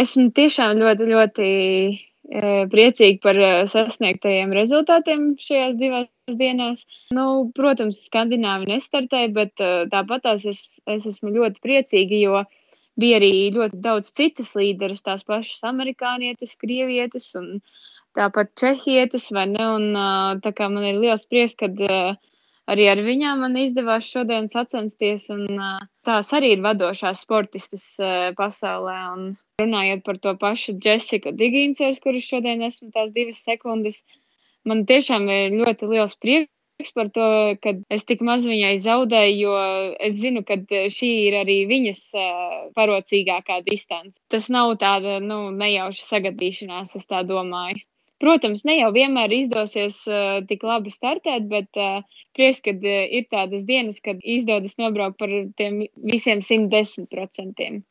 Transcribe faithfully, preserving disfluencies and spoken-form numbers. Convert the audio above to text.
Esmu tiešām ļoti, ļoti, eee, priecīga par, eee, sasniegtajiem rezultātiem šajās divās dienās. Nu, protams, skandināvi nestartēja, bet, uh, tāpatās es es esmu ļoti priecīga, jo bija arī ļoti daudz citas līderes, tās pašas amerikānietes, krievietes un tāpat čehietes, vai ne? Un, uh, tā kā man ir liels prieks, kad, uh, arī ar viņām man izdevās šodien sacensties, un, uh, tās arī ir vadošās sportistes, uh, pasaulē. Un runājot par to pašu Džesiku Diginses, kuru šodien esmu tās divas sekundes, man tiešām ir ļoti liels prieks par to, kad es tik maz viņai zaudēju, jo es zinu, kad šī ir arī viņas, uh, parocīgākā distance. Tas nav tāda, nu, nejauša sagadīšanās, es tā domāju. Protams, ne jau vienmēr izdosies, uh, tik labi startēt, bet, uh, prieks, kad, uh, ir tādas dienas, kad izdodas nobraukt par tiem visiem simt desmit procentiem.